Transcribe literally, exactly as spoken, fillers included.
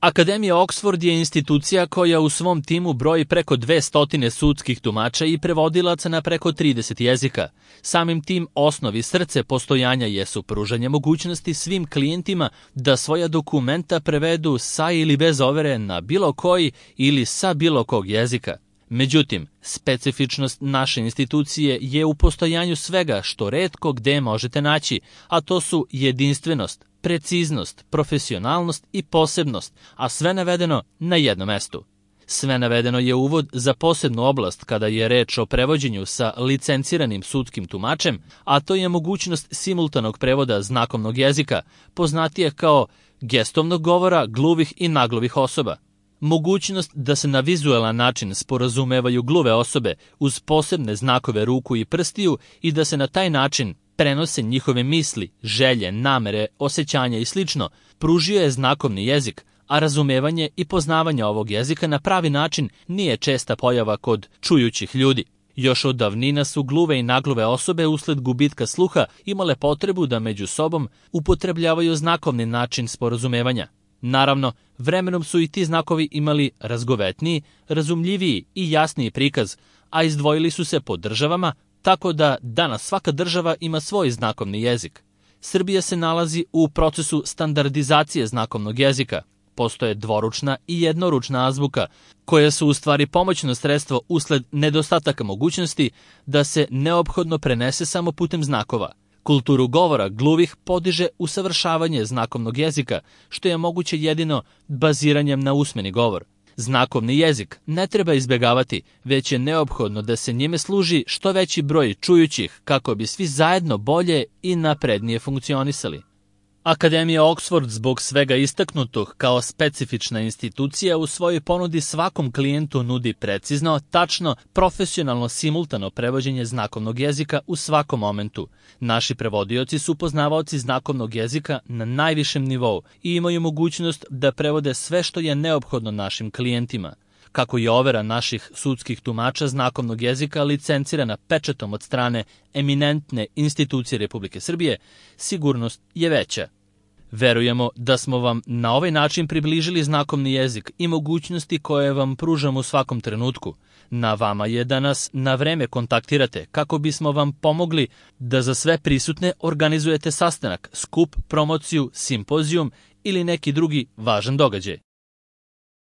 Akademija Oxford je institucija koja u svom timu broji preko dvestotine sudskih tumača i prevodilaca na preko trideset jezika. Samim tim osnovi srce postojanja jesu pružanje mogućnosti svim klijentima da svoja dokumenta prevedu sa ili bez overe na bilo koji ili sa bilo kog jezika. Međutim, specifičnost naše institucije je u postojanju svega što retko gde možete naći, a to su jedinstvenost, preciznost, profesionalnost i posebnost, a sve navedeno na jednom mestu. Sve navedeno je uvod za posebnu oblast kada je reč o prevođenju sa licenciranim sudskim tumačem, a to je mogućnost simultanog prevoda znakovnog jezika, poznatije kao gestovnog govora gluvih i naglovih osoba. Mogućnost da se na vizualan način sporazumevaju gluve osobe uz posebne znakove ruku i prstiju i da se na taj način prenose njihove misli, želje, namere, osjećanja i slično, pružio je znakovni jezik, a razumevanje i poznavanje ovog jezika na pravi način nije česta pojava kod čujućih ljudi. Još od davnina su gluve i nagluve osobe usled gubitka sluha imale potrebu da među sobom upotrebljavaju znakovni način sporazumevanja. Naravno, vremenom su i ti znakovi imali razgovetniji, razumljiviji i jasniji prikaz, a izdvojili su se po državama, tako da danas svaka država ima svoj znakovni jezik. Srbija se nalazi u procesu standardizacije znakovnog jezika. Postoje dvoručna i jednoručna azbuka, koja su u stvari pomoćno sredstvo usled nedostataka mogućnosti da se neophodno prenese samo putem znakova. Kulturu govora gluvih podiže usavršavanje znakovnog jezika, što je moguće jedino baziranjem na usmeni govor. Znakovni jezik ne treba izbjegavati, već je neophodno da se njime služi što veći broj čujućih kako bi svi zajedno bolje i naprednije funkcionisali. Akademija Oxford zbog svega istaknutog kao specifična institucija u svojoj ponudi svakom klijentu nudi precizno, tačno, profesionalno, simultano prevođenje znakovnog jezika u svakom momentu. Naši prevodioci su poznavaoci znakovnog jezika na najvišem nivou i imaju mogućnost da prevode sve što je neophodno našim klijentima. Kako je overa naših sudskih tumača znakovnog jezika licencirana pečatom od strane eminentne institucije Republike Srbije, sigurnost je veća. Verujemo da smo vam na ovaj način približili znakovni jezik i mogućnosti koje vam pružamo u svakom trenutku. Na vama je da nas na vreme kontaktirate kako bismo vam pomogli da za sve prisutne organizujete sastanak, skup, promociju, simpozijum ili neki drugi važan događaj.